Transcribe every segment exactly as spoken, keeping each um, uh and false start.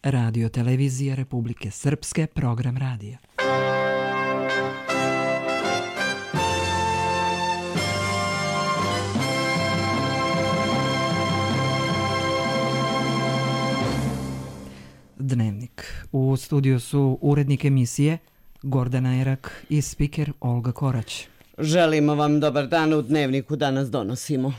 Radio televizija Republike Srpske, program radija. Dnevnik. U studiju su urednik emisije Gordana Erak i spiker Olga Korać. Želimo vam dobar dan. U Dnevniku danas donosimo.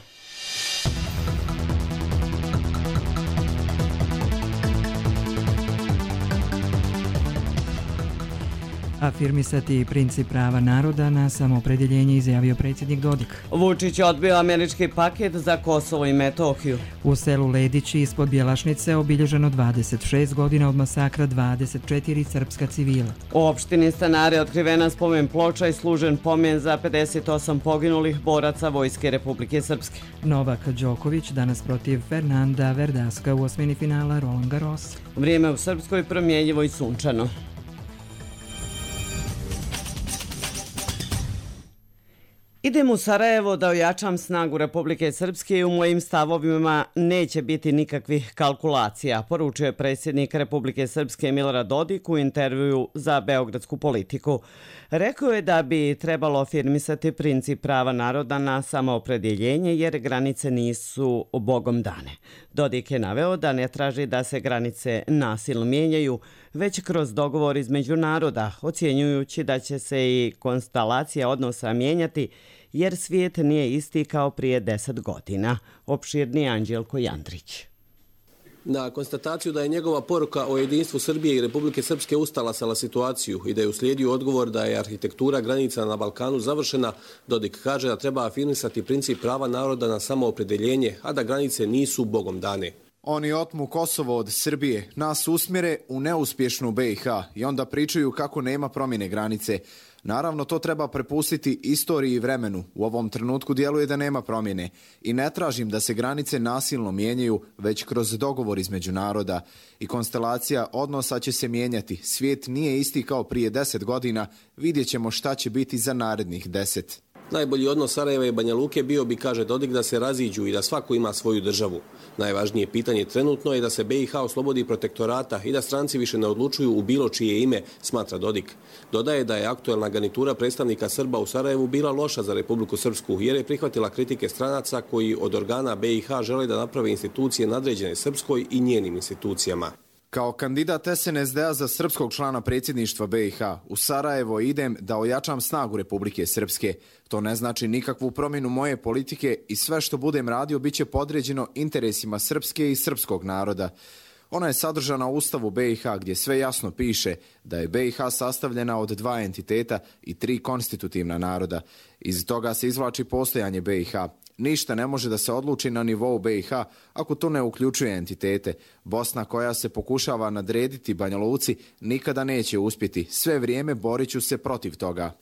Afirmisati princip prava naroda na samoopredjeljenje, izjavio predsjednik Dodik. Vučić odbio američki paket za Kosovo i Metohiju. U selu Ledići ispod Bjelašnice obilježeno dvadeset šest godina od masakra dvadeset četiri srpska civila. U opštini Stanare otkrivena spomen ploča i služen pomen za pedeset osam poginulih boraca Vojske Republike Srpske. Novak Đoković danas protiv Fernanda Verdaska u osmini finala Roland Garros. Vrijeme u Srpskoj promjenjivo i sunčano. Idem u Sarajevo da ojačam snagu Republike Srpske i u mojim stavovima neće biti nikakvih kalkulacija, poručuje predsjednik Republike Srpske Milorad Dodik u intervjuu za Beogradsku politiku. Rekao je da bi trebalo afirmisati princip prava naroda na samoopredjeljenje jer granice nisu bogom dane. Dodik je naveo da ne traži da se granice nasilno mijenjaju, već kroz dogovor između naroda, ocjenjujući da će se i konstelacija odnosa mijenjati jer svijet nije isti kao prije deset godina. Opširni Anđelko Jandrić. Na konstataciju da je njegova poruka o jedinstvu Srbije i Republike Srpske ustalasala situaciju i da je uslijedio odgovor da je arhitektura granica na Balkanu završena, Dodik kaže da treba afirmisati princip prava naroda na samoopredjeljenje, a da granice nisu bogom dane. Oni otmu Kosovo od Srbije, nas usmjere u neuspješnu B i H i onda pričaju kako nema promjene granice. Naravno, to treba prepustiti istoriji i vremenu. U ovom trenutku djeluje da nema promjene. I ne tražim da se granice nasilno mijenjaju, već kroz dogovor između naroda. I konstelacija odnosa će se mijenjati. Svijet nije isti kao prije deset godina. Vidjet ćemo šta će biti za narednih deset. Najbolji odnos Sarajeva i Banja Luke bio bi, kaže Dodik, da se raziđu i da svako ima svoju državu. Najvažnije pitanje trenutno je da se B i H oslobodi protektorata i da stranci više ne odlučuju u bilo čije ime, smatra Dodik. Dodaje da je aktuelna garnitura predstavnika Srba u Sarajevu bila loša za Republiku Srpsku jer je prihvatila kritike stranaca koji od organa B i H žele da naprave institucije nadređene Srpskoj i njenim institucijama. Kao kandidat S N S D-a za srpskog člana predsjedništva B i H u Sarajevo idem da ojačam snagu Republike Srpske. To ne znači nikakvu promjenu moje politike i sve što budem radio bit će podređeno interesima Srpske i srpskog naroda. Ona je sadržana u Ustavu B i H gdje sve jasno piše da je B i H sastavljena od dva entiteta i tri konstitutivna naroda. Iz toga se izvlači postojanje B i H. Ništa ne može da se odluči na nivou B i H ako to ne uključuje entitete. Bosna koja se pokušava nadrediti Banja Luci nikada neće uspjeti. Sve vrijeme borit ću se protiv toga.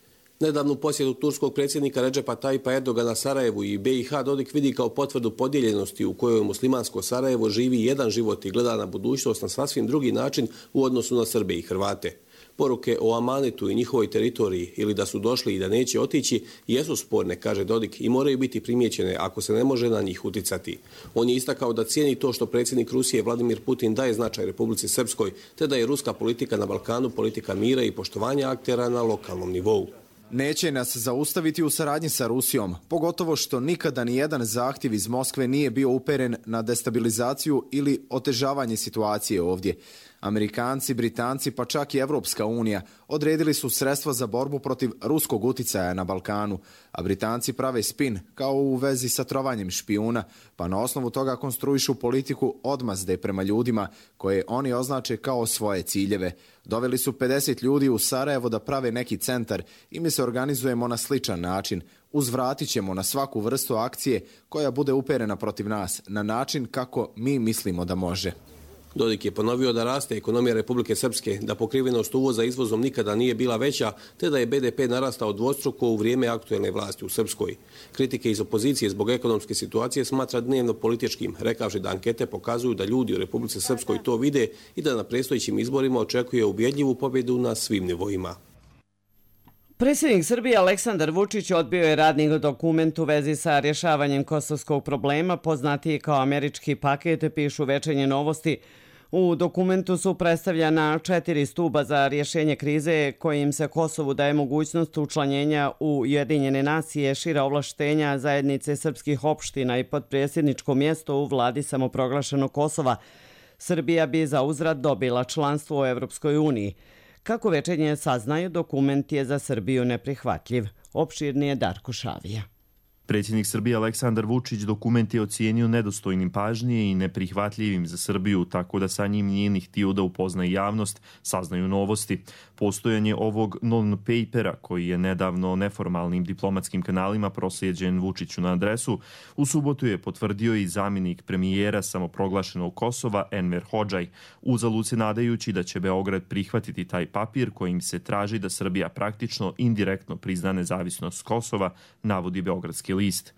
Nedavnu posjetu turskog predsjednika Redžepa Tajipa Erdogana Sarajevu i B i H Dodik vidi kao potvrdu podijeljenosti u kojoj muslimansko Sarajevo živi jedan život i gleda na budućnost na sasvim drugi način u odnosu na Srbe i Hrvate. Poruke o amanetu i njihovoj teritoriji ili da su došli i da neće otići jesu sporne, kaže Dodik, i moraju biti primijećene ako se ne može na njih uticati. On je istakao da cijeni to što predsjednik Rusije Vladimir Putin daje značaj Republici Srpskoj, te da je ruska politika na Balkanu politika mira i poštovanja aktera na lokalnom nivou. Neće nas zaustaviti u saradnji sa Rusijom, pogotovo što nikada ni jedan zahtjev iz Moskve nije bio uperen na destabilizaciju ili otežavanje situacije ovdje. Amerikanci, Britanci pa čak i Evropska unija odredili su sredstva za borbu protiv ruskog uticaja na Balkanu, a Britanci prave spin kao u vezi sa trovanjem špijuna, pa na osnovu toga konstruišu politiku odmazde prema ljudima koje oni označe kao svoje ciljeve. Doveli su pedeset ljudi u Sarajevo da prave neki centar i mi se organizujemo na sličan način. Uzvratit ćemo na svaku vrstu akcije koja bude uperena protiv nas na način kako mi mislimo da može. Dodik je ponovio da raste ekonomija Republike Srpske, da pokrivenost uvoza izvozom nikada nije bila veća, te da je B D P narastao dvostruko u vrijeme aktuelne vlasti u Srpskoj. Kritike iz opozicije zbog ekonomske situacije smatra dnevno političkim, rekavši da ankete pokazuju da ljudi u Republici Srpskoj to vide i da na predstojećim izborima očekuje ubjedljivu pobjedu na svim nivoima. Predsjednik Srbije Aleksandar Vučić odbio je radni dokument u vezi sa rješavanjem kosovskog problema, poznatiji kao američki paket, pišu Večernje novosti U dokumentu su predstavljena četiri stuba za rješenje krize kojim se Kosovu daje mogućnost učlanjenja u Ujedinjene nacije, šira ovlaštenja zajednice srpskih opština i podpredsjedničko mjesto u vladi samoproglašenog Kosova. Srbija bi za uzvrat dobila članstvo u Evropskoj uniji. Kako večernje saznaju, dokument je za Srbiju neprihvatljiv. Opširni je Darko Šavija. Predsjednik Srbije Aleksandar Vučić dokument je ocijenio nedostojnim pažnje i neprihvatljivim za Srbiju, tako da sa njim nije ni htio da upozna javnost, saznaju novosti. Postojanje ovog non-papera, koji je nedavno neformalnim diplomatskim kanalima proslijeđen Vučiću na adresu, u subotu je potvrdio i zamjenik premijera samoproglašenog Kosova Enver Hodžaj, uzalud se nadajući da će Beograd prihvatiti taj papir kojim se traži da Srbija praktično indirektno prizna nezavisnost Kosova, navodi Beogradski list.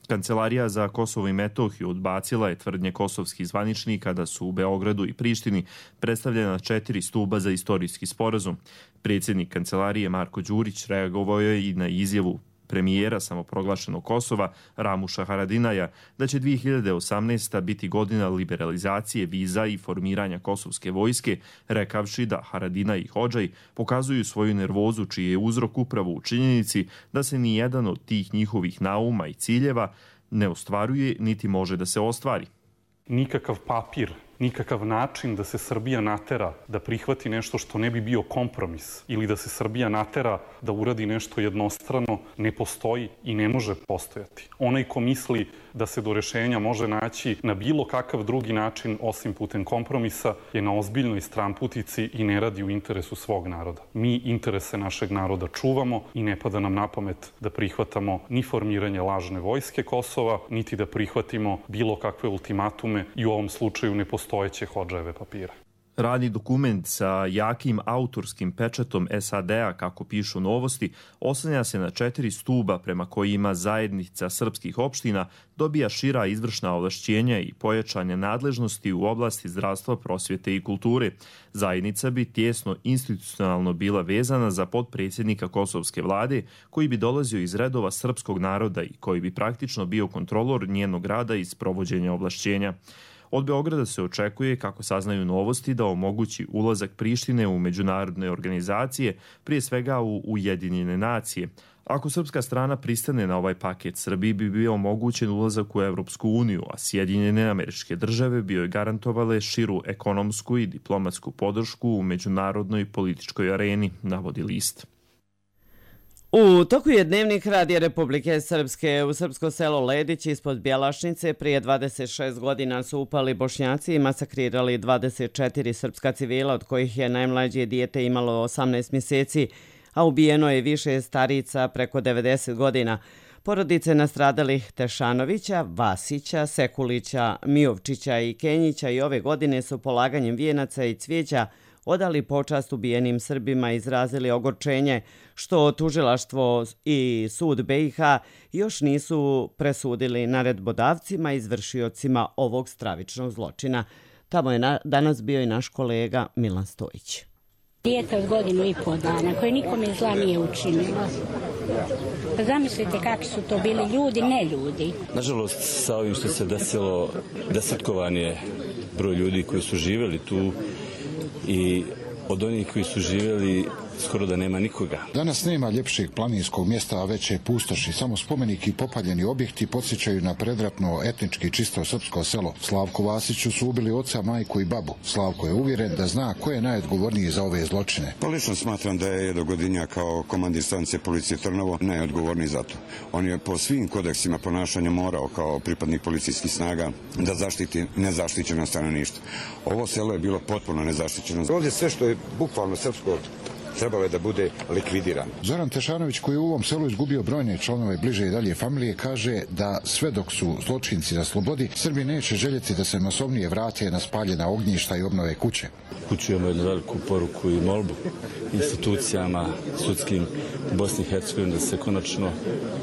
Kancelarija za Kosovo i Metohiju odbacila je tvrdnje kosovskih zvaničnika da su u Beogradu i Prištini predstavljena četiri stuba za istorijski sporazum. Predsjednik kancelarije Marko Đurić reagovao je i na izjavu premijera samoproglašenog Kosova Ramuša Haradinaja da će dvije hiljade osamnaesta. biti godina liberalizacije viza i formiranja kosovske vojske, rekavši da Haradinaj i Hodžaj pokazuju svoju nervozu čiji je uzrok upravo u činjenici da se ni jedan od tih njihovih nauma i ciljeva ne ostvaruje niti može da se ostvari. Nikakav papir, nikakav način da se Srbija natera da prihvati nešto što ne bi bio kompromis ili da se Srbija natera da uradi nešto jednostrano ne postoji i ne može postojati. Onaj ko misli da se do rešenja može naći na bilo kakav drugi način osim putem kompromisa je na ozbiljnoj stranputici i ne radi u interesu svog naroda. Mi interese našeg naroda čuvamo i ne pada nam na pamet da prihvatamo ni formiranje lažne vojske Kosova, niti da prihvatimo bilo kakve ultimatume i u ovom slučaju ne postojeće Hodžajeve papire. Radni dokument sa jakim autorskim pečatom S A D-a, kako pišu novosti, oslanja se na četiri stuba prema kojima zajednica srpskih opština dobija šira izvršna ovlašćenja i pojačanje nadležnosti u oblasti zdravstva, prosvjete i kulture. Zajednica bi tjesno institucionalno bila vezana za potpredsjednika kosovske vlade, koji bi dolazio iz redova srpskog naroda i koji bi praktično bio kontrolor njenog rada i sprovođenja ovlašćenja. Od Beograda se očekuje, kako saznaju novosti, da omogući ulazak Prištine u međunarodne organizacije, prije svega u Ujedinjene nacije. Ako srpska strana pristane na ovaj paket, Srbiji bi bio omogućen ulazak u Evropsku uniju, a Sjedinjene Američke Države bi joj garantovale širu ekonomsku i diplomatsku podršku u međunarodnoj političkoj areni, navodi list. U toku je dnevnik Radija Republike Srpske. U srpsko selo Ledić ispod Bjelašnice prije dvadeset šest godina su upali Bošnjaci i masakrirali dvadeset četiri srpska civila, od kojih je najmlađe dijete imalo osamnaest mjeseci, a ubijeno je više starica preko devedeset godina. Porodice nastradalih Tešanovića, Vasića, Sekulića, Mijovčića i Kenjića i ove godine su polaganjem vijenaca i cvijeća odali počast ubijenim Srbima i izrazili ogorčenje što tužilaštvo i sud B i H još nisu presudili naredbodavcima i izvršiocima ovog stravičnog zločina. Tamo je na, danas bio i naš kolega Milan Stojić. Dijete od godinu i pol dana koje nikome zla nije učinilo. Pa zamislite kakvi su to bili ljudi, ne ljudi. Nažalost, sa ovim što se desilo, desetkovan je broj ljudi koji su živjeli tu i od onih koji su živjeli skoro da nema nikoga. Danas nema ljepšeg planinskog mjesta, a već je pustoši. Samo spomenik i popaljeni objekti podsjećaju na predratno etnički čisto srpsko selo. Slavku Vasiću su ubili oca, majku i babu. Slavko je uvjeren da zna ko je najodgovorniji za ove zločine. Pa lično smatram da je Jedogodinja kao komandir stanice policije Trnovo najodgovorniji za to. On je po svim kodeksima ponašanja morao kao pripadnik policijskih snaga da zaštiti nezaštićeno stanovništvo. Ovo selo je bilo potpuno nezaštićeno. Ovdje sve što je bukvalno srpsko trebalo je da bude likvidiran. Zoran Tešanović, koji je u ovom selu izgubio brojne članove bliže i dalje familije, kaže da sve dok su zločinci na slobodi, Srbi neće željeti da se masovnije vrate na spaljena ognjišta i obnove kuće. Upućujemo jednu veliku poruku i molbu institucijama sudskim u Bosni i Hercegovini da se konačno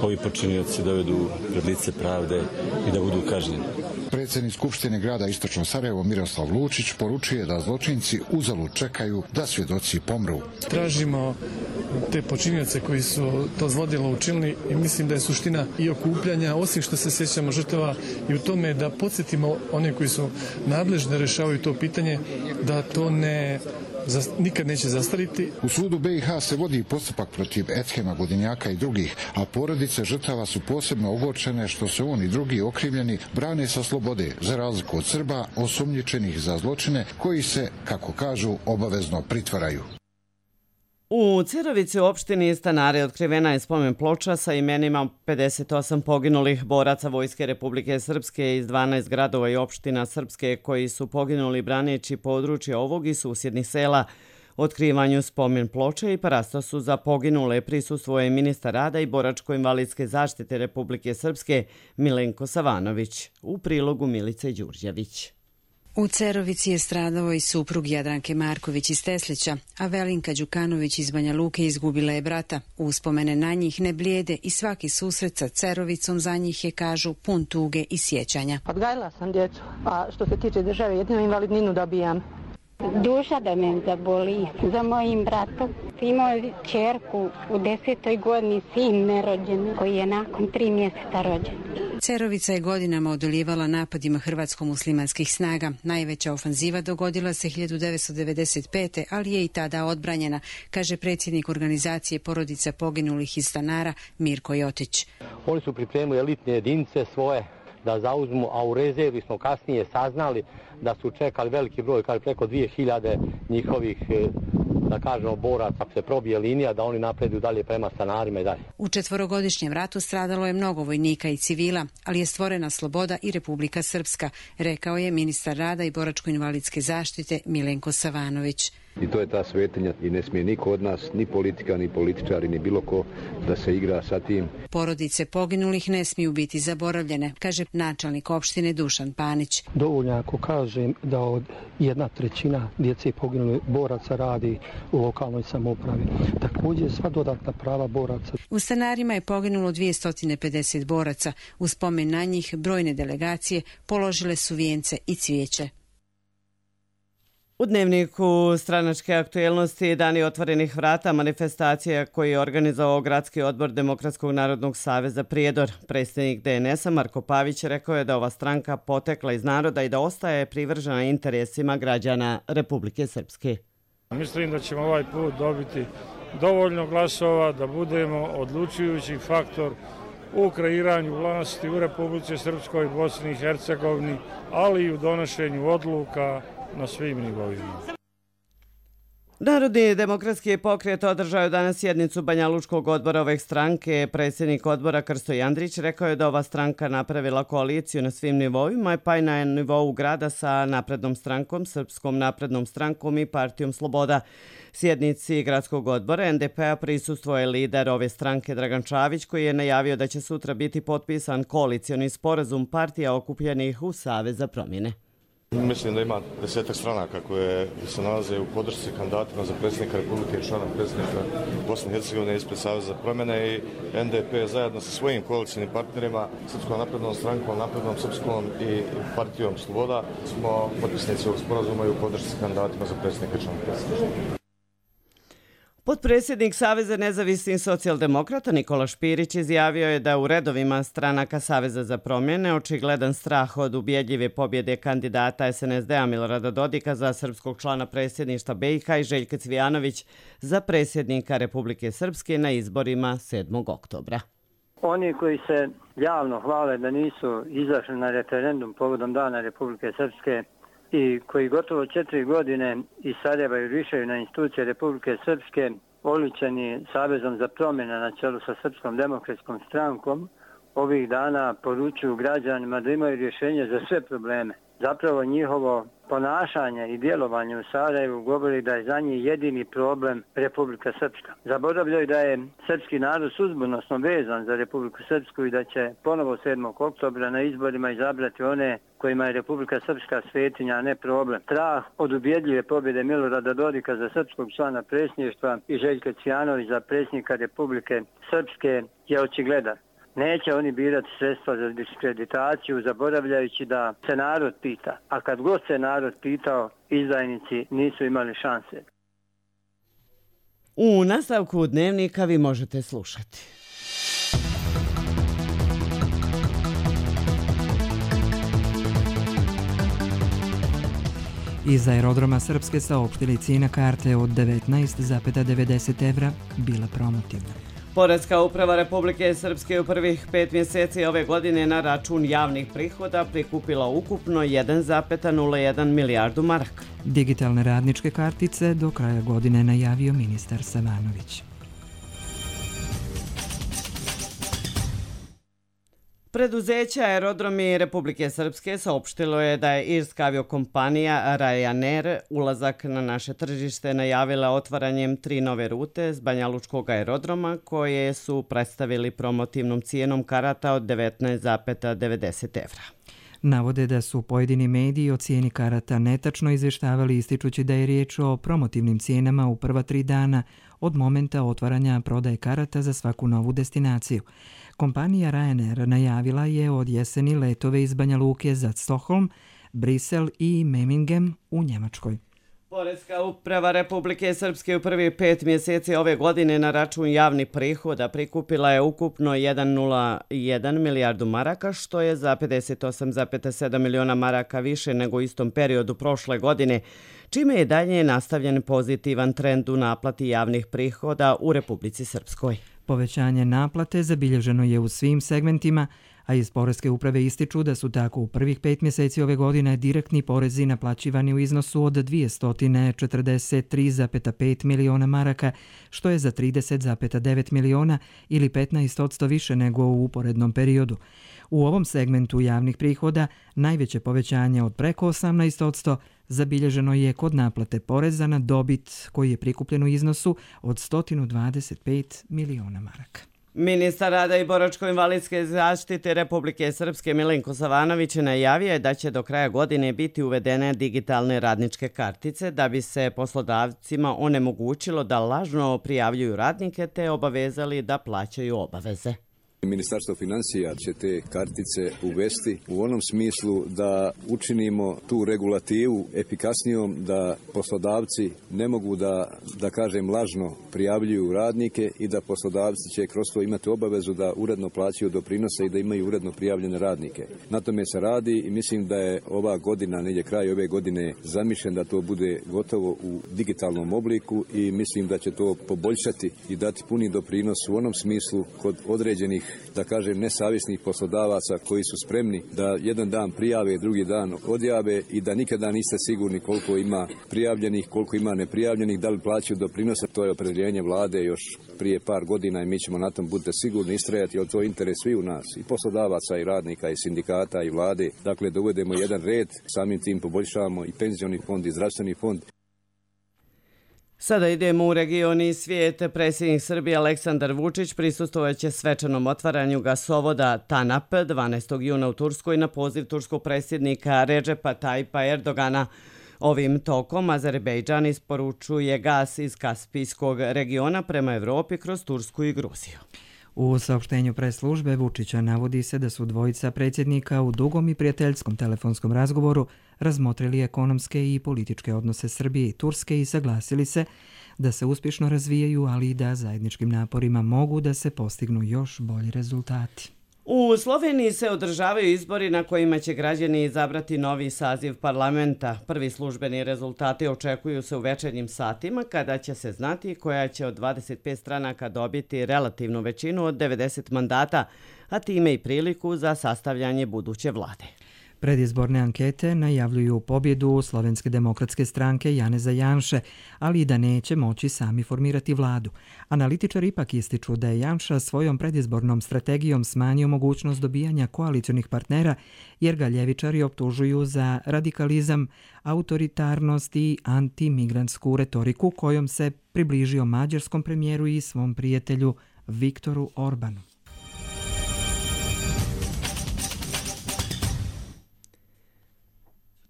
ovi počinioci dovedu pred lice pravde i da budu kažnjeni. Predsjednik Skupštine grada Istočno Sarajevo Miroslav Lučić poručuje da zločinci uzalud čekaju da svjedoci pomru. Tražimo te počinioce koji su to zlodjelo učinili i mislim da je suština i okupljanja, osim što se sjećamo žrtava i u tome da podsjetimo one koji su nadležni da rješavaju to pitanje, da to ne nikad neće zastariti. U sudu be i ha se vodi postupak protiv Ethema, Godinjaka i drugih, a porodice žrtava su posebno ogorčene što se on i drugi okrivljeni brane sa slobode, za razliku od Srba osumnjičenih za zločine koji se, kako kažu, obavezno pritvaraju. U Cerovici u opštini Stanare otkrivena je spomen ploča sa imenima pedeset osam poginulih boraca Vojske Republike Srpske iz dvanaest gradova i opština Srpske koji su poginuli braneći područje ovog i susjednih sela. Otkrivanju spomen ploče i parastosu za poginule prisustvuje ministar rada i boračko-invalidske zaštite Republike Srpske Milenko Savanović. U prilogu Milice Đurđević. U Cerovici je stradao i suprug Jadranke Marković iz Teslića, a Velinka Đukanović iz Banja Luke izgubila je brata. Uspomene na njih ne blijede i svaki susret sa Cerovicom za njih je, kažu, pun tuge i sjećanja. Odgajala sam djecu, a što se tiče države, jedinu invalidninu dobijam. Duša da me zaboli za mojim bratom. Imao je čerku u desetoj godini, sin nerođen, koji je nakon tri mjeseca rođen. Cerovica je godinama odoljevala napadima hrvatsko-muslimanskih snaga. Najveća ofanziva dogodila se hiljadu devetsto devedeset pete. ali je i tada odbranjena, kaže predsjednik organizacije porodica poginulih iz Stanara Mirko Jotić. Oni su pripremili elitne jedinice svoje da zauzmu, a u rezervi smo kasnije saznali da su čekali veliki broj, kaže preko dvije hiljade njihovih, da kažemo, boraca, se probije linija, da oni napreduju dalje prema Stanarima i dalje. U četvorogodišnjem ratu stradalo je mnogo vojnika i civila, ali je stvorena sloboda i Republika Srpska, rekao je ministar rada i boračko-invalidske zaštite Milenko Savanović. I to je ta svetinja i ne smije niko od nas, ni politika, ni političari, ni bilo ko da se igra sa tim. Porodice poginulih ne smiju biti zaboravljene, kaže načelnik opštine Dušan Panić. Dovoljno ako kažem da od jedna trećina djece poginulih boraca radi u lokalnoj samoupravi. Također sva dodatna prava boraca. U Stanarima je poginulo dvjesto pedeset boraca. U spomen na njih brojne delegacije položile su vijence i cvijeće. U dnevniku stranačke aktuelnosti Dani otvorenih vrata manifestacija koji je organizovao Gradski odbor Demokratskog narodnog saveza Prijedor. Predsjednik de en es a Marko Pavić rekao je da ova stranka potekla iz naroda i da ostaje privržena interesima građana Republike Srpske. Mislim da ćemo ovaj put dobiti dovoljno glasova da budemo odlučujući faktor u kreiranju vlasti u Republici Srpskoj i Bosni i Hercegovini, ali i u donošenju odluka na svim nivoima. Narodni demokratski pokret održao je danas sjednicu Banja Lučkog odbora ove stranke. Predsjednik odbora Krsto Jandrić rekao je da ova stranka napravila koaliciju na svim nivoima, pa i na nivou grada sa Naprednom strankom, Srpskom naprednom strankom i Partijom Sloboda. Sjednici gradskog odbora en de pe a prisustvuje lider ove stranke Dragan Čavić, koji je najavio da će sutra biti potpisan koalicioni sporazum partija okupljenih u Savez za promjene. Mislim da ima desetak stranaka koje se nalaze u podršci kandidatima za predsjednika Republike i člana predsjednika Bosne i Hercegovine ispred Saveza za promjene i en de pe zajedno sa svojim koalicijnim partnerima, Srpskom naprednom strankom, Naprednom srpskom i Partijom Sloboda smo potpisnici ovog sporazuma i u podršci kandidatima za predsjednika i člana predsjednika. Potpredsjednik Saveza nezavisnih socijaldemokrata Nikola Špirić izjavio je da u redovima stranaka Saveza za promjene očigledan strah od ubjedljive pobjede kandidata es en es de a Milorada Dodika za srpskog člana predsjedništva be i ha i Željka Cvijanović za predsjednika Republike Srpske na izborima sedmog oktobra. Oni koji se javno hvale da nisu izašli na referendum povodom Dana Republike Srpske i koji gotovo četiri godine i Sarajeva i rišaju na institucije Republike Srpske, oličeni Savezom za promjene na čelu sa Srpskom demokratskom strankom, ovih dana poručuju građanima da imaju rješenje za sve probleme. Zapravo njihovo ponašanje i djelovanje u Sarajevu govori da je za njih jedini problem Republika Srpska. Zaboravljaju da je srpski narod sudbonosno vezan za Republiku Srpsku i da će ponovo sedmog oktobra na izborima izabrati one kojima je Republika Srpska svetinja, a ne problem. Strah od ubjedljive pobjede Milorada Dodika za srpskog člana predsjedništva i Željka Cvijanović za predsjednika Republike Srpske je očigledan. Neće oni birati sredstva za diskreditaciju, zaboravljajući da se narod pita. A kad god se narod pitao, izdajnici nisu imali šanse. U nastavku dnevnika vi možete slušati. Iz aerodroma Srpske saopštili cijena karte od devetnaest zarez devedeset evra bila promotivna. Poreska uprava Republike Srpske u prvih pet mjeseci ove godine na račun javnih prihoda prikupila ukupno jedan zarez nula jedan milijardu maraka. Digitalne radničke kartice do kraja godine najavio ministar Savanović. Preduzeće Aerodromi Republike Srpske saopštilo je da je irska aviokompanija Ryanair ulazak na naše tržište najavila otvaranjem tri nove rute s Banjalučkog aerodroma koje su predstavili promotivnom cijenom karata od devetnaest zarez devedeset evra. Navode da su pojedini mediji o cijeni karata netačno izvještavali ističući da je riječ o promotivnim cijenama u prva tri dana od momenta otvaranja prodaje karata za svaku novu destinaciju. Kompanija Ryanair najavila je od jeseni letove iz Banja Luke za Stockholm, Brisel i Memmingen u Njemačkoj. Poreska uprava Republike Srpske u prvih pet mjeseci ove godine na račun javnih prihoda prikupila je ukupno jedan zarez nula jedan milijardu maraka, što je za pedeset osam zarez sedam miliona maraka više nego u istom periodu prošle godine, čime je dalje nastavljen pozitivan trend u naplati javnih prihoda u Republici Srpskoj. Povećanje naplate zabilježeno je u svim segmentima, a iz Poreske uprave ističu da su tako u prvih pet mjeseci ove godine direktni porezi naplaćivani u iznosu od dvjesto četrdeset tri zarez pet miliona maraka, što je za trideset zarez devet miliona ili petnaest posto više nego u uporednom periodu. U ovom segmentu javnih prihoda najveće povećanje od preko osamnaest posto zabilježeno je kod naplate poreza na dobit koji je prikupljen u iznosu od sto dvadeset pet miliona maraka. Ministar rada i boračko-invalidske zaštite Republike Srpske Milenko Savanović najavio je da će do kraja godine biti uvedene digitalne radničke kartice da bi se poslodavcima onemogućilo da lažno prijavljuju radnike te obavezali da plaćaju obaveze. Ministarstvo financija će te kartice uvesti u onom smislu da učinimo tu regulativu efikasnijom, da poslodavci ne mogu da, da kažem, lažno prijavljuju radnike i da poslodavci će kroz to imati obavezu da uredno plaćaju doprinose i da imaju uredno prijavljene radnike. Na tome se radi i mislim da je ova godina, negdje kraj ove godine, zamišljen da to bude gotovo u digitalnom obliku i mislim da će to poboljšati i dati puni doprinos u onom smislu kod određenih, da kažem, nesavjesnih poslodavaca koji su spremni da jedan dan prijave, drugi dan odjave i da nikada niste sigurni koliko ima prijavljenih, koliko ima neprijavljenih, da li plaćaju doprinose. To je opredjeljenje vlade još prije par godina i mi ćemo na tom, budite sigurni, istrajati, jer to je interes svi u nas, i poslodavaca, i radnika, i sindikata, i vlade. Dakle, da uvedemo jedan red, samim tim poboljšavamo i penzioni fond i zdravstveni fond. Sada idemo u region i svijet. Predsjednik Srbije Aleksandar Vučić prisustvovaće svečanom otvaranju gasovoda TANAP dvanaestog juna u Turskoj na poziv turskog predsjednika Redžepa Tajipa Erdogana. Ovim tokom Azerbejdžan isporučuje gas iz Kaspijskog regiona prema Evropi kroz Tursku i Gruziju. U saopštenju pres službe Vučića navodi se da su dvojica predsjednika u dugom i prijateljskom telefonskom razgovoru razmotrili ekonomske i političke odnose Srbije i Turske i saglasili se da se uspješno razvijaju, ali i da zajedničkim naporima mogu da se postignu još bolji rezultati. U Sloveniji se održavaju izbori na kojima će građani izabrati novi saziv parlamenta. Prvi službeni rezultati očekuju se u večernjim satima kada će se znati koja će od dvadeset pet stranaka dobiti relativnu većinu od devedeset mandata, a time i priliku za sastavljanje buduće vlade. Predizborne ankete najavljuju pobjedu Slovenske demokratske stranke Janeza Janše, ali i da neće moći sami formirati vladu. Analitičari ipak ističu da je Janša svojom predizbornom strategijom smanjio mogućnost dobijanja koalicionih partnera, jer ga ljevičari optužuju za radikalizam, autoritarnost i antimigrantsku retoriku kojom se približio mađarskom premijeru i svom prijatelju Viktoru Orbanu.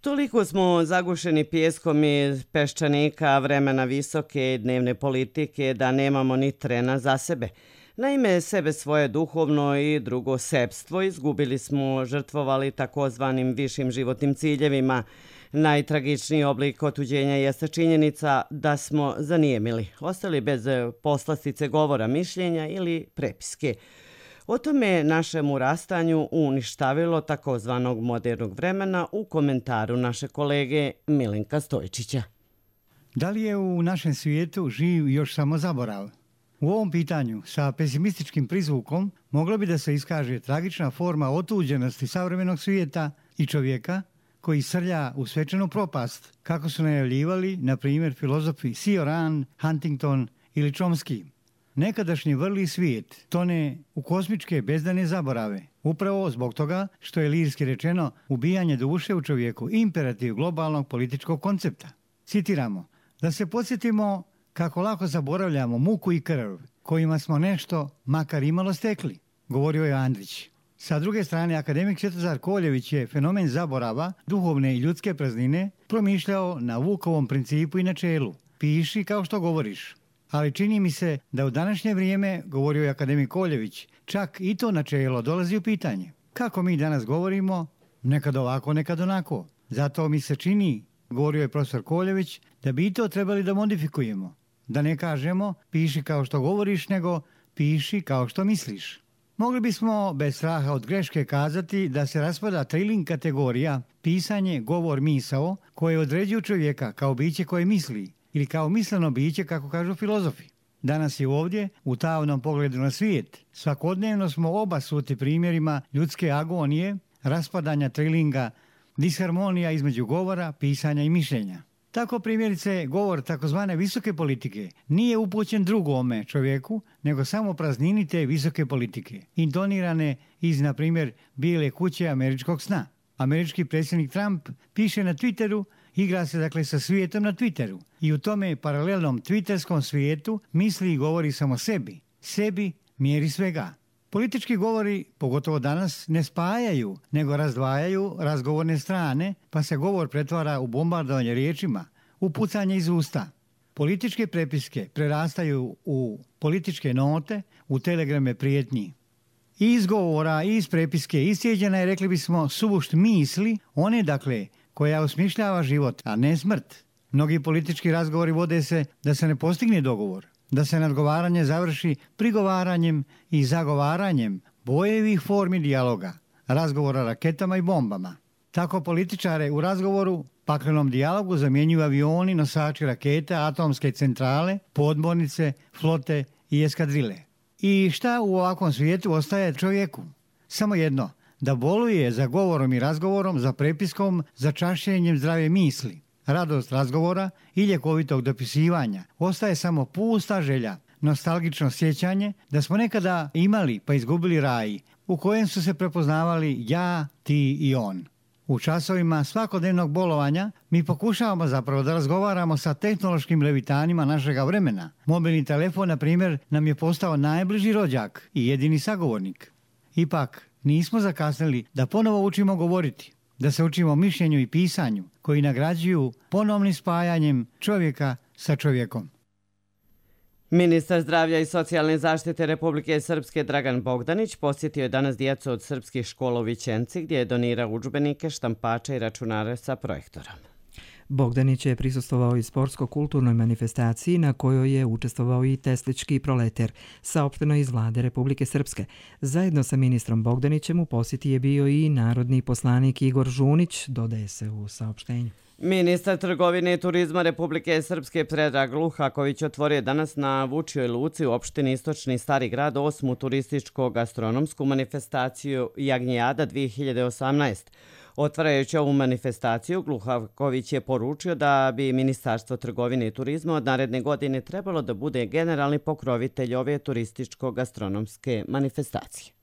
Toliko smo zagušeni pijeskom iz peščanika, vremena visoke i dnevne politike da nemamo ni trena za sebe. Naime, sebe svoje duhovno i drugo sebstvo izgubili smo, žrtvovali takozvanim višim životnim ciljevima. Najtragičniji oblik otuđenja jeste činjenica da smo zanijemili, ostali bez poslastice govora, mišljenja ili prepiske. O tome našemu rastanju uništavilo takozvanog modernog vremena u komentaru naše kolege Milenka Stojčića. Da li je u našem svijetu živ još samo zaborav? U ovom pitanju sa pesimističkim prizvukom moglo bi da se iskaže tragična forma otuđenosti savremenog svijeta i čovjeka koji srlja u svečanu propast, kako su najavljivali, na primjer, filozofi Cioran, Huntington ili Chomsky. Nekadašnji vrli svijet tone u kosmičke bezdane zaborave, upravo zbog toga što je lirski rečeno ubijanje duše u čovjeku imperativ globalnog političkog koncepta. Citiramo, da se podsjetimo kako lako zaboravljamo muku i krv kojima smo nešto makar imalo stekli, govorio je Andrić. Sa druge strane, akademik Svetozar Koljević je fenomen zaborava, duhovne i ljudske praznine promišljao na Vukovom principu i načelu. Piši kao što govoriš. Ali čini mi se da u današnje vrijeme, govorio je akademik Koljević, čak i to načelo dolazi u pitanje. Kako mi danas govorimo, nekad ovako, nekad onako. Zato mi se čini, govorio je profesor Koljević, da bi i to trebali da modifikujemo. Da ne kažemo piši kao što govoriš, nego piši kao što misliš. Mogli bismo bez straha od greške kazati da se raspada triling kategorija pisanje, govor, misao koje određuju čovjeka kao biće koje misli ili kao misleno biće, kako kažu filozofi. Danas je ovdje, u tamnom pogledu na svijet, svakodnevno smo obasuti primjerima ljudske agonije, raspadanja trilinga, disharmonija između govora, pisanja i mišljenja. Tako primjerice govor takozvane visoke politike nije upućen drugome čovjeku, nego samo praznini te visoke politike, intonirane iz, na primjer, bijele kuće američkog sna. Američki predsjednik Trump piše na Twitteru, igra se dakle sa svijetom na Twitteru i u tome paralelnom twitterskom svijetu misli i govori samo sebi, sebi mjeri svega. Politički govori, pogotovo danas, ne spajaju, nego razdvajaju razgovorne strane, pa se govor pretvara u bombardovanje riječima, u pucanje iz usta. Političke prepiske prerastaju u političke note, u telegrame prijetnji. I iz govora, i iz prepiske iscijeđena je, rekli bismo, sušt misli, one dakle koja osmišljava život, a ne smrt. Mnogi politički razgovori vode se da se ne postigne dogovor, da se nadgovaranje završi prigovaranjem i zagovaranjem bojevih formi dijaloga, razgovora raketama i bombama. Tako političare u razgovoru, paklenom dijalogu zamjenjuju avioni, nosači raketa, atomske centrale, podmornice, flote i eskadrile. I šta u ovakvom svijetu ostaje čovjeku? Samo jedno, da boluje za govorom i razgovorom, za prepiskom, za čašćenjem zdrave misli. Radost razgovora i ljekovitog dopisivanja ostaje samo pusta želja, nostalgično sjećanje da smo nekada imali pa izgubili raj u kojem su se prepoznavali ja, ti i on. U časovima svakodnevnog bolovanja mi pokušavamo zapravo da razgovaramo sa tehnološkim levitanima našega vremena. Mobilni telefon, na primjer, nam je postao najbliži rođak i jedini sagovornik. Ipak, nismo zakasnili da ponovo učimo govoriti, da se učimo mišljenju i pisanju koji nagrađuju ponovnim spajanjem čovjeka sa čovjekom. Ministar zdravlja i socijalne zaštite Republike Srpske Dragan Bogdanić posjetio je danas djecu od srpskih škola u Vićenci gdje je donirao udžbenike, štampače i računare sa projektorom. Bogdanić je prisustvovao i sportsko-kulturnoj manifestaciji na kojoj je učestvovao i Teslički proleter, saopšteno iz vlade Republike Srpske. Zajedno sa ministrom Bogdanićem u posjeti je bio i narodni poslanik Igor Žunić, dodaje se u saopštenju. Ministar trgovine i turizma Republike Srpske Predrag Luhaković otvorio danas na Vučjoj luci u opštini Istočni Stari grad osmu turističko-gastronomsku manifestaciju Jagnjijada dvije hiljade osamnaest. Otvarajući ovu manifestaciju, Luhaković je poručio da bi Ministarstvo trgovine i turizma od naredne godine trebalo da bude generalni pokrovitelj ove turističko-gastronomske manifestacije.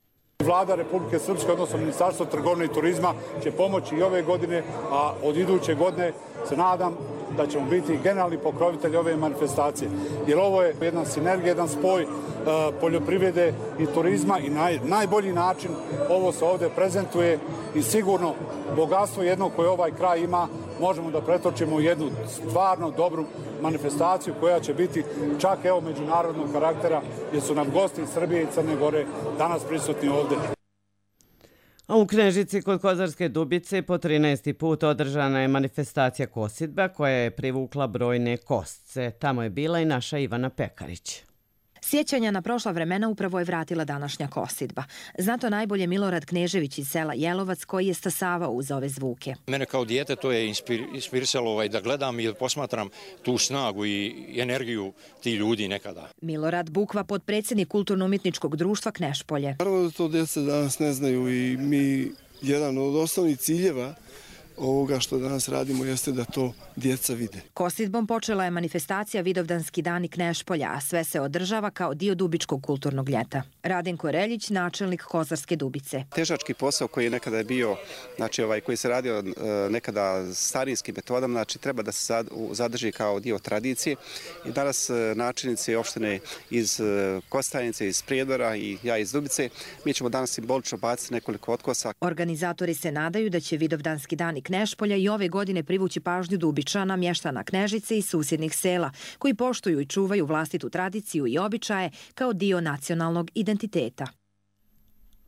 Vlada Republike Srpske, odnosno Ministarstvo trgovine i turizma, će pomoći i ove godine, a od iduće godine se nadam da ćemo biti generalni pokrovitelj ove manifestacije. Jer ovo je jedna sinergija, jedan spoj uh, poljoprivrede i turizma i naj, najbolji način ovo se ovdje prezentuje i sigurno bogatstvo jedno koje ovaj kraj ima možemo da pretočimo u jednu stvarno dobru manifestaciju koja će biti čak evo međunarodnog karaktera jer su nam gosti iz Srbije i Crne Gore danas prisutni ovdje. A u Knežici kod Kozarske Dubice po trinaesti put održana je manifestacija kosidba koja je privukla brojne kosce. Tamo je bila i naša Ivana Pekarić. Sjećanja na prošla vremena upravo je vratila današnja kosidba. Zna to najbolje Milorad Knežević iz sela Jelovac koji je stasavao uz ove zvuke. Mene kao dijete to je inspirisalo ovaj, da gledam i da posmatram tu snagu i energiju ti ljudi nekada. Milorad Bukva, potpredsjednik Kulturno-umjetničkog društva Knešpolje. Naravno da to djeca danas ne znaju i mi jedan od osnovnih ciljeva ovoga što danas radimo jeste da to djeca vide. Kosidbom počela je manifestacija Vidovdanski dani Knešpolja, a sve se održava kao dio Dubičkog kulturnog ljeta. Radenko Reljić, načelnik Kozarske Dubice. Težački posao koji je nekada je bio, znači ovaj koji se radio nekada starijskim metodama, znači treba da se zadrži kao dio tradicije. I danas načelnici opštine iz Kostajnice, iz Prijedora i ja iz Dubice, mi ćemo danas simbolično baciti nekoliko otkosa. Organizatori se nadaju da će Vidovdanski dani Knešpolja i ove godine privući pažnju Dubičana, mještana Knežice i susjednih sela, koji poštuju i čuvaju vlastitu tradiciju i običaje kao dio nacionalnog identiteta.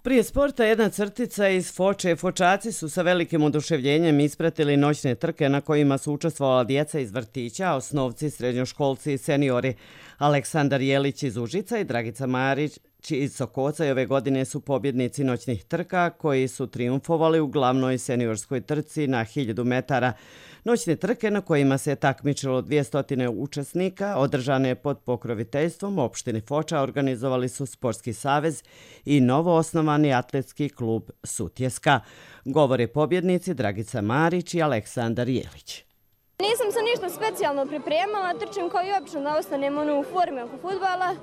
Prije sporta jedna crtica iz Foče. Fočaci su sa velikim oduševljenjem ispratili noćne trke na kojima su učestvovala djeca iz vrtića, osnovci, srednjoškolci i seniori. Aleksandar Jelić iz Užica i Dragica Marić iz Sokoca i ove godine su pobjednici noćnih trka koji su triumfovali u glavnoj seniorskoj trci na hiljadu metara. Noćne trke na kojima se takmičilo dvjesto učesnika održane pod pokroviteljstvom opštine Foča organizovali su Sportski savez i novo osnovani atletski klub Sutjeska. Govore pobjednici Dragica Marić i Aleksandar Jelić. Nisam se ništa specijalno pripremala, trčim kao i obično da ostanem u forme oko fudbala.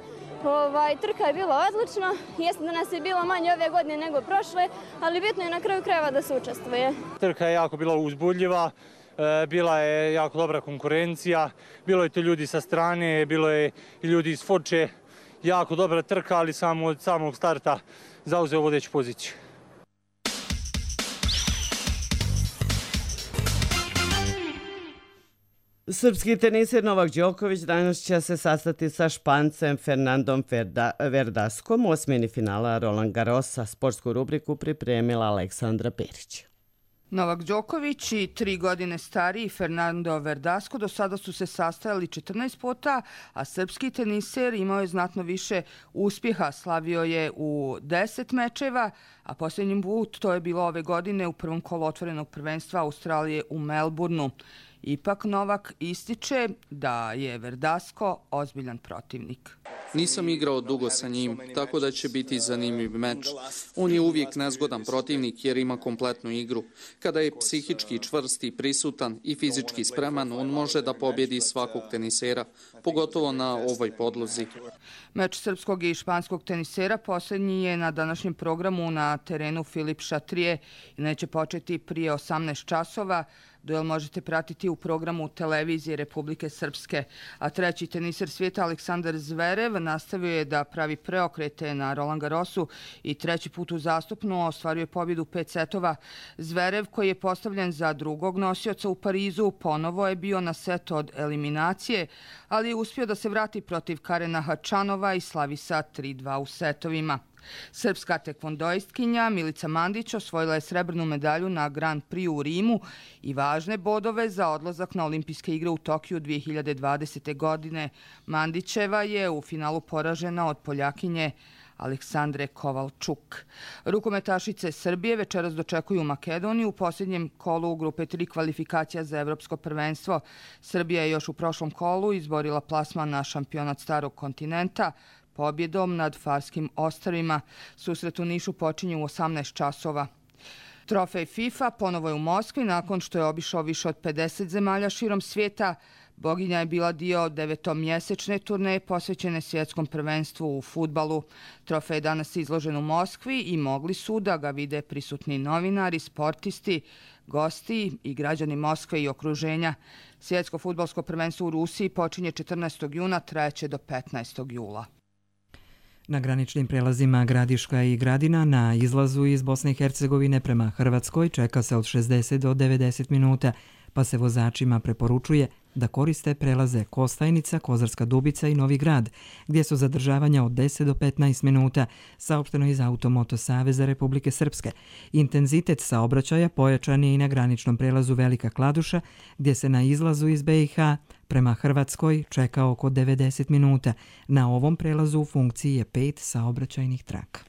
Ovaj, trka je bila odlična, jeste da nas je bilo manje ove godine nego prošle, ali bitno je na kraju krajeva da se učestvuje. Trka je jako bila uzbudljiva, bila je jako dobra konkurencija, bilo je to ljudi sa strane, bilo je i ljudi iz Foče, jako dobra trka, ali samo od samog starta zauzeo vodeću poziciju. Srpski teniser Novak Đoković danas će se sastati sa Špancem Fernandom Verdaskom u osmini finala Roland Garrosa. Sportsku rubriku pripremila Aleksandra Perić. Novak Đoković i tri godine stariji Fernando Verdasco do sada su se sastajali četrnaest puta, a srpski teniser imao je znatno više uspjeha. Slavio je u deset mečeva, a posljednji put to je bilo ove godine u prvom kolu otvorenog prvenstva Australije u Melbourneu. Ipak Novak ističe da je Verdasco ozbiljan protivnik. Nisam igrao dugo sa njim, tako da će biti zanimljiv meč. On je uvijek nezgodan protivnik jer ima kompletnu igru. Kada je psihički čvrst i prisutan i fizički spreman, on može da pobjedi svakog tenisera, pogotovo na ovoj podlozi. Meč srpskog i španskog tenisera posljednji je na današnjem programu na terenu Filip Šatrije i neće početi prije osamnaest časova. Duel možete pratiti u programu televizije Republike Srpske. A treći teniser svijeta Aleksandar Zverev nastavio je da pravi preokrete na Roland Garrosu i treći put uzastopno ostvaruje pobjedu pet setova. Zverev, koji je postavljen za drugog nosioca u Parizu, ponovo je bio na set od eliminacije, ali je uspio da se vrati protiv Karena Hačanova i slavi sa tri dva u setovima. Srpska tekvondoistkinja Milica Mandić osvojila je srebrnu medalju na Grand Prix u Rimu i važne bodove za odlazak na olimpijske igre u Tokiju dvije hiljade dvadesete. godine. Mandićeva je u finalu poražena od Poljakinje Aleksandre Kovalčuk. Rukometašice Srbije večeras dočekuju Makedoniju u posljednjem kolu u grupe tri kvalifikacija za evropsko prvenstvo. Srbija je još u prošlom kolu izborila plasman na šampionat starog kontinenta pobjedom nad Farskim ostrvima. Susret u Nišu počinje u osamnaest časova. Trofej FIFA ponovo je u Moskvi nakon što je obišao više od pedeset zemalja širom svijeta. Boginja je bila dio devetomjesečne turneje posvećene svjetskom prvenstvu u fudbalu. Trofej je danas izložen u Moskvi i mogli su da ga vide prisutni novinari, sportisti, gosti i građani Moskve i okruženja. Svjetsko fudbalsko prvenstvo u Rusiji počinje četrnaestog juna, trajeće do petnaestog jula. Na graničnim prelazima Gradiška i Gradina na izlazu iz Bosne i Hercegovine prema Hrvatskoj čeka se od šezdeset do devedeset minuta. pa se vozačima preporučuje da koriste prelaze Kostajnica, Kozarska Dubica i Novi Grad, gdje su zadržavanja od deset do petnaest minuta, saopšteno iz Automoto Saveza Republike Srpske. Intenzitet saobraćaja pojačan je i na graničnom prelazu Velika Kladuša, gdje se na izlazu iz be i ha prema Hrvatskoj čeka oko devedeset minuta. Na ovom prelazu u funkciji je pet saobraćajnih traka.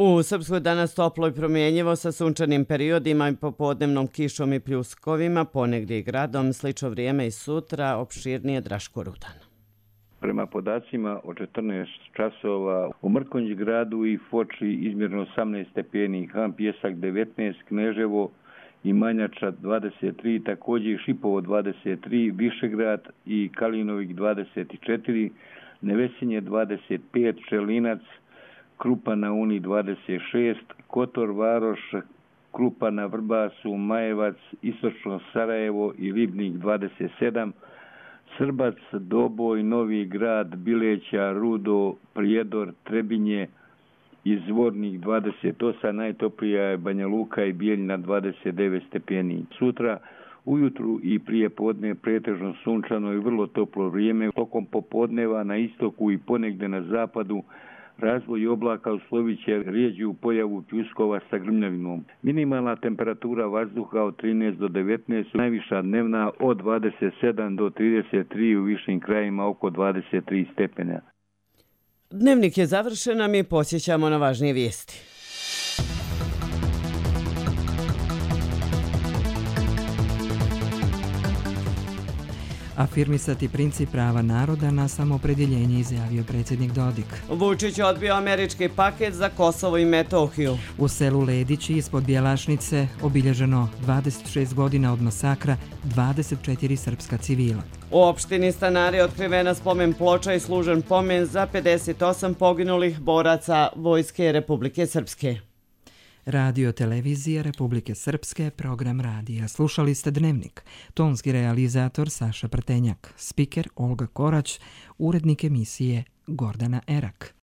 U Srpskoj danas toplo i promjenjivo sa sunčanim periodima i popodnevnom kišom i pljuskovima, ponegdje i gradom, slično vrijeme i sutra, opširnije Draško Rudan. Prema podacima od četrnaest časova u Mrkonjić gradu i Foči izmjerno osamnaest stepeni, Han Pjesak devetnaest, Kneževo i Manjača dvadeset tri, također i Šipovo dvadeset tri, Višegrad i Kalinovik dvadeset četiri, Nevesinje dvadeset pet, Čelinac, Krupa na Uni dvadeset šest, Kotor, Varoš, Krupa na Vrbasu, Majevac, Istočno Sarajevo i Ribnik dvadeset sedam, Srbac, Doboj, Novi Grad, Bileća, Rudo, Prijedor, Trebinje i Zvornik dvadeset osam, najtoplija je Banja Luka i Bijeljina dvadeset devet stepeni. Sutra ujutru i prije podne pretežno sunčano i vrlo toplo vrijeme. Tokom popodneva na istoku i ponegde na zapadu razvoj oblaka uslovit će rijeđu pojavu pljuskova sa grmljavinom. Minimalna temperatura vazduha od trinaest do devetnaest, najviša dnevna od dvadeset sedam do trideset tri, u višim krajima oko dvadeset tri stepena. Dnevnik je završen, a mi posjećamo na važnije vijesti. Afirmisati princip prava naroda na samoopredjeljenje, izjavio predsjednik Dodik. Vučić je odbio američki paket za Kosovo i Metohiju. U selu Ledići ispod Bjelašnice obilježeno dvadeset šest godina od masakra, dvadeset četiri srpska civila. U opštini Stanari otkrivena spomen ploča i služen pomen za pedeset osam poginulih boraca Vojske Republike Srpske. Radio Televizija Republike Srpske, program radija. Slušali ste Dnevnik. Tonski realizator Saša Prtenjak, spiker Olga Korać, urednik emisije Gordana Erak.